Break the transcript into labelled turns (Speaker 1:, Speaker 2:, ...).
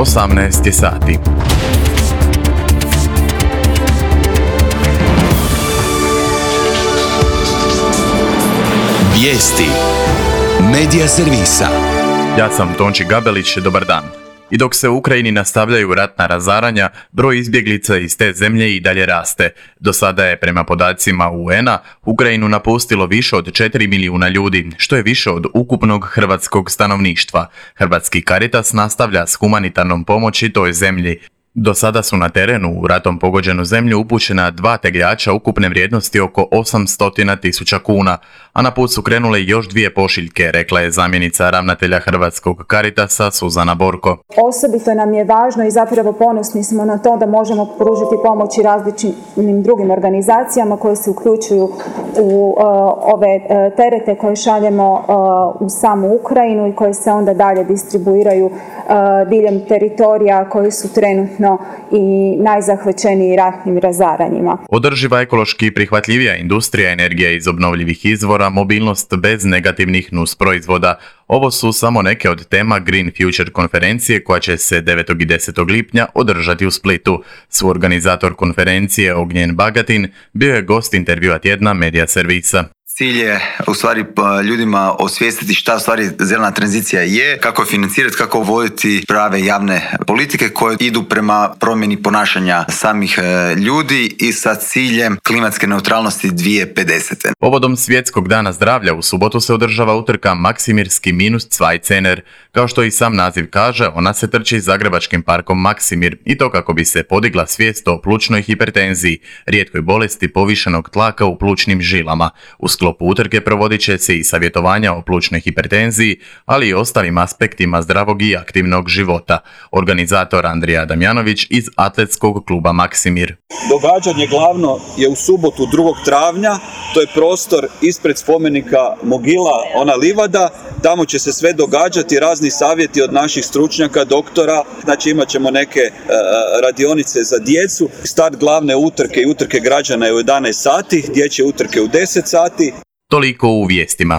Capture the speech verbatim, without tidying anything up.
Speaker 1: osamnaest je sati.
Speaker 2: Vijesti Medija servisa.
Speaker 1: Ja sam Tonči Gabelić, dobar dan. I dok se u Ukrajini nastavljaju ratna razaranja, broj izbjeglica iz te zemlje i dalje raste. Do sada je, prema podacima U N-a, Ukrajinu napustilo više od četiri milijuna ljudi, što je više od ukupnog hrvatskog stanovništva. Hrvatski Caritas nastavlja s humanitarnom pomoći toj zemlji. Do sada su na terenu u ratom pogođenu zemlju upućena dva tegljača ukupne vrijednosti oko osamsto tisuća kuna, a na put su krenule još dvije pošiljke, rekla je zamjenica ravnatelja Hrvatskog Caritasa Suzana Borko.
Speaker 3: Osobito nam je važno i zapravo ponosni smo na to da možemo pružiti pomoć i različitim drugim organizacijama koje se uključuju u uh, ove uh, terete koje šaljemo uh, u samu Ukrajinu i koje se onda dalje distribuiraju uh, diljem teritorija koji su trenutno i najzahvaćeniji ratnim razaranjima.
Speaker 1: Održiva, ekološki i prihvatljivija industrija, energija iz obnovljivih izvora, mobilnost bez negativnih nus proizvoda. Ovo su samo neke od tema Green Future konferencije koja će se devetog i desetog lipnja održati u Splitu. Suorganizator konferencije Ognjen Bagatin bio je gost intervjua tjedna Medija servisa.
Speaker 4: Cilj je u stvari ljudima osvijestiti šta u stvari zelena tranzicija je, kako je financirati, kako voditi prave javne politike koje idu prema promjeni ponašanja samih ljudi i sa ciljem klimatske neutralnosti dvije tisuće pedesete.
Speaker 1: Povodom Svjetskog dana zdravlja u subotu se održava utrka Maksimirski minus zwei Zehner. Kao što i sam naziv kaže, ona se trči Zagrebačkim parkom Maksimir i to kako bi se podigla svijest o plućnoj hipertenziji, rijetkoj bolesti povišenog tlaka u plućnim žilama. U sklopu utrke provodit će se i savjetovanja o plućnoj hipertenziji, ali i ostalim aspektima zdravog i aktivnog života. Organizator Andrija Damjanović iz atletskog kluba Maksimir.
Speaker 5: Događanje glavno je u subotu drugog travnja, to je prostor ispred spomenika Mogila, ona livada. Tamo će se sve događati, razni savjeti od naših stručnjaka, doktora. Znači imat ćemo neke uh, radionice za djecu. Start glavne utrke i utrke građana je u jedanaest sati, dječje utrke u deset sati.
Speaker 1: Toliko u vijestima.